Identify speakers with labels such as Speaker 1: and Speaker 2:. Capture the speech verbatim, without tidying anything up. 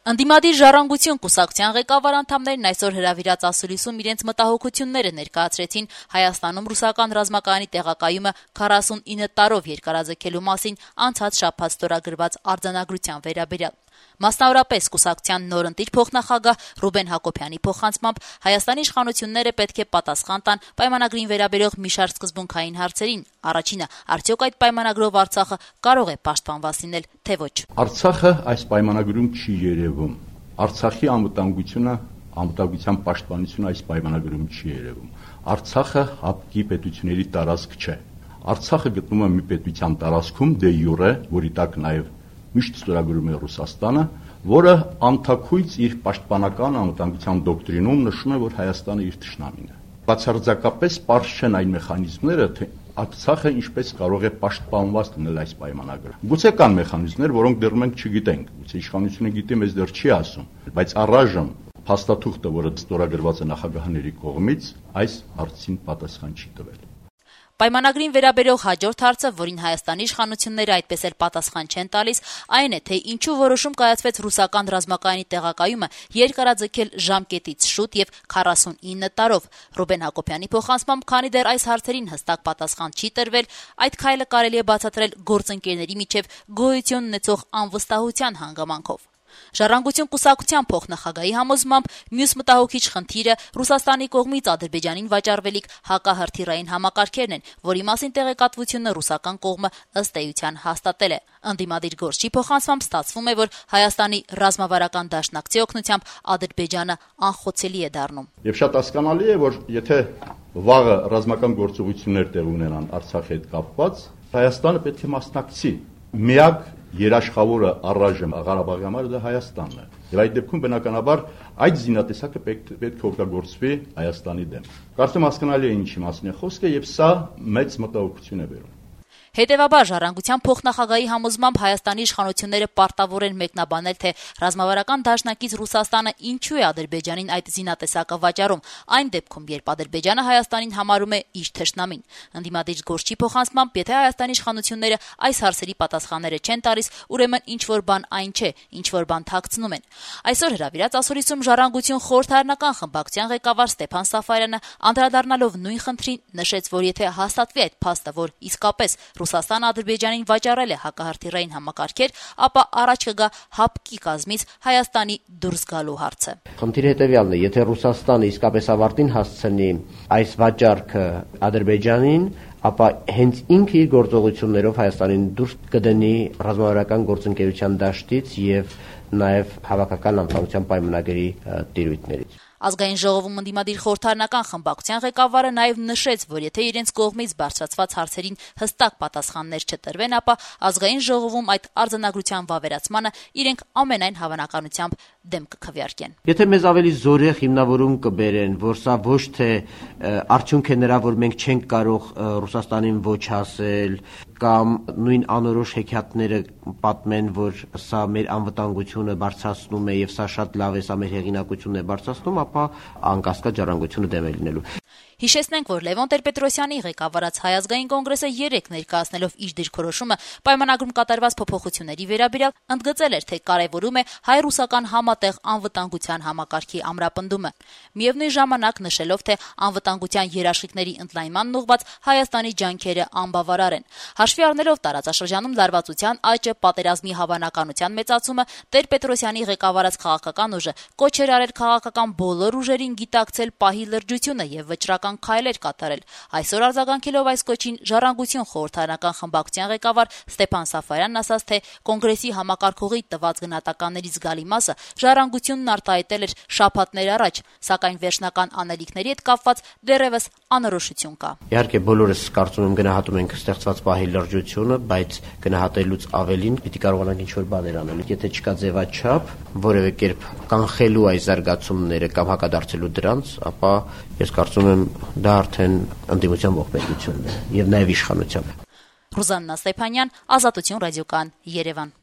Speaker 1: Ընդդիմադիր ժառանգություն կուսակցության ղեկավար անդամներն այսօր հրավիրած ասուլիսում իրենց մտահոգությունները ներկայացրեցին Հայաստանում ռուսական ռազմակայանի տեղակայումը քառասունինը տարով երկարաձգելու մասին անցած շաբաթ ստորագրված արձանագրության վերաբերյալ։ Մասնավորապես կուսակցության նորընտիր փոխնախագահ Ռուբեն Հակոբյանի փոխանցմամբ Հայաստանի իշխանությունները պետք է պատասխան տան պայմանագրին վերաբերող մի շարք սկզբունքային հարցերին։ Առաջինը, արդյոք այդ պայմանագրով Արցախը կարող է պաշտպանված լինել, թե ոչ։
Speaker 2: Արցախը այս պայմանագրում չի երևում։ Արցախի անվտանգությունը, անվտանգության պաշտպանությունը այս պայմանագրում չի երևում։ Արցախը հապկի պետությունների տարածք չէ։ Արցախը գտնվում է մի պետության տարածքում դե յուրե, որի տակ նաև միշտ ստորագրում է Ռուսաստանը, որը անթաքույց իր պաշտպանական անվտանգության դոկտրինում նշում է, որ Հայաստանը իր թշնամին է։ Բացարձակապես պարզ չեն այն մեխանիզմները, թե Արցախը ինչպես կարող է պաշտպանված լինել այս պայմանագրով։ Գուցե կան մեխանիզմներ, որոնք դեռ մենք չգիտենք, գուցե իշխանությունը գիտի, մեզ դեռ չի ասում, բայց առայժմ փաստաթուղթը, որը ստորագրված է նախագահների կողմից, այս հարցին պատասխան չի տվել։
Speaker 1: Պայմանագրին վերաբերող հաջորդ հարցը, որին Հայաստանի իշխանությունները այդպես էլ պատասխան չեն տալիս, այն է, թե ինչու որոշում կայացվեց ռուսական ռազմակայանի տեղակայումը երկարաձգել ժամկետից շուտ եւ քառասունինը տարով։ Ռուբեն Հակոբյանի փոխանցմամբ, քանի դեռ այս հարցերին հստակ պատասխան չի տրվել, այդ քայլը կարելի է բացատրել գործընկերների միջև գոյություն ունեցող անվստահության հանգամանքով։ Ժառանգություն կուսակցության փոխնախագահի համոզմամբ մյուս մտահոգիչ խնդիրը Ռուսաստանի կողմից Ադրբեջանին վաճառվելիք հակահրթիռային համակարգերն են, որի մասին տեղեկատվությունը ռուսական կողմը ըստ էության հաստատել է։ Ընդդիմադիր գործչի փոխանցմամբ ստացվում է, որ Հայաստանի ռազմավարական դաշնակցի օգնությամբ Ադրբեջանը անխոցելի է դառնում։
Speaker 2: Եվ շատ հասկանալի է, որ եթե վաղը ռազմական գործողություններ տեղ ունենան Արցախի հետ կապված, Հայաստանը պետք է մասնակցի։ Միակ երաշխավորը առայժմ Ղարաբաղի համար դա Հայաստանն է։ Եվ այդ դեպքում բնականաբար այդ զինատեսակը պետք պետք է օգտագործվի Հայաստանի դեմ։ Կարծում հասկանալի է ինչի մասին է խոսքը, եւ սա մեծ մտահոգություն է բերում։
Speaker 1: Հետևաբար ժառանգության փոխնախագահի համոզմամբ Հայաստանի իշխանությունները պարտավոր են մեկնաբանել, թե ռազմավարական դաշնակից Ռուսաստանը ինչու է Ադրբեջանին այդ զինատեսակը վաճառում, այն դեպքում, երբ Ադրբեջանը Հայաստանին համարում է իր թշնամին։ Ընդդիմադիր գործչի փոխանցմամբ, եթե Հայաստանի իշխանությունները այս հարցերի պատասխանները չեն տալիս, ուրեմն ինչ որ բան այն չէ, ինչ որ բան թաքցնում են։ Այսօր հրավիրած ասուլիսում ժառանգություն խորհրդարանական խմբակցության ղեկավար Ստեփան Սաֆարյանը, անդրադառնալով նույն խնդրին, նշեց, որ եթե հաստատվի այդ փաստը, որ իսկապես Ռուսաստանը Ադրբեջանին վաճառել է հակահրթիռային համակարգեր, ապա առաջ կգա հապկի կազմից Հայաստանի դուրս գալու հարցը։
Speaker 3: Խնդիրը հետևյալն է, եթե Ռուսաստանը իսկապես ավարտին հասցնի այս վաճառքը Ադրբեջանին, ապա հենց ինքը իր գործողություններով Հայաստանին դուրս կդնի ռազմավարական գործընկերության դաշտից եւ նաեւ հավաքական անվտանգության պայմանագրի տիրույթներից։
Speaker 1: Ազգային ժողովում ընդդիմադիր խորհրդարանական խմբակցության ղեկավարը նաև նշեց, որ եթե իրենց կողմից բարձրացված հարցերին հստակ պատասխաններ չտրվեն, ապա ազգային ժողովում այդ արձանագրության վավերացմանը իրենք ամենայն հավանականությամբ դեմ կքվեարկեն։
Speaker 3: Եթե մեզ ավելի զորեղ հիմնավորում կբերեն, որ սա ոչ թե արդյունք է նրա, որ մենք չենք կարող Ռուսաստանին ոչ ասել, կամ նույն անորոշ հեքիաթները պատմեն, որ սա մեր անվտանգությունը բարձրացնում է եւ սա շատ լավ է, սա մեր հեղինակությունն է բարձրացնում, ապա անկասկած ժառանգությունը դեմ է լինելու։
Speaker 1: Հիշեցնենք, որ Լևոն Տեր-Պետրոսյանի ղեկավարած Հայ ազգային կոնգրեսը երեկ ներկայացնելով իր դիրքորոշումը պայմանագրում կատարված փոփոխությունների վերաբերյալ ընդգծել էր, թե կարևորում է հայ-ռուսական համատեղ անվտանգության համակարգի ամրապնդումը։ Միևնույն ժամանակ նշելով, թե անվտանգության երաշխիքների ընդլայնման ուղղված Հայաստանի ջանքերը անբավարար են։ Հաշվի առնելով տարածաշրջանում լարվածության աճը, պատերազմի հավանականության մեծացումը, Տեր-Պետրոսյանի ղեկավարած քաղաքական ուժը կոչ էր արել քաղաքական բոլոր ուժերին գիտակցել պահի լրջությունը եւ վճռական քայլեր կատարել։ Այսօր արձագանքելով այս կոչին, Ժառանգություն խորհրդարանական խմբակցության ղեկավար Ստեփան Սաֆարյանն ասաց, թե կոնգրեսի համակարգողի տված գնահատականների զգալի մասը Ժառանգությունն արտահայտել էր շաբաթներ առաջ, սակայն վերջնական անելիքների հետ կապված դեռևս անորոշություն կա։
Speaker 3: Իհարկե բոլորս կարծում եմ գնահատում ենք ստեղծված պահի լրջությունը, բայց գնահատելուց ավելին պիտի կարողանանք ինչ-որ բաներ անել։ Եթե չկա ձևաչափ, որևէ կերպ կանխելու այս զարգացումները կամ հակադարձելու դրանց, ապա ես կարծում եմ դա արդեն ընդդիմության ողբերգությունն է եւ նաեւ իշխանության։
Speaker 1: Ռուզաննա Ստեփանյան, Ազատություն ռադիոկայան, Երևան։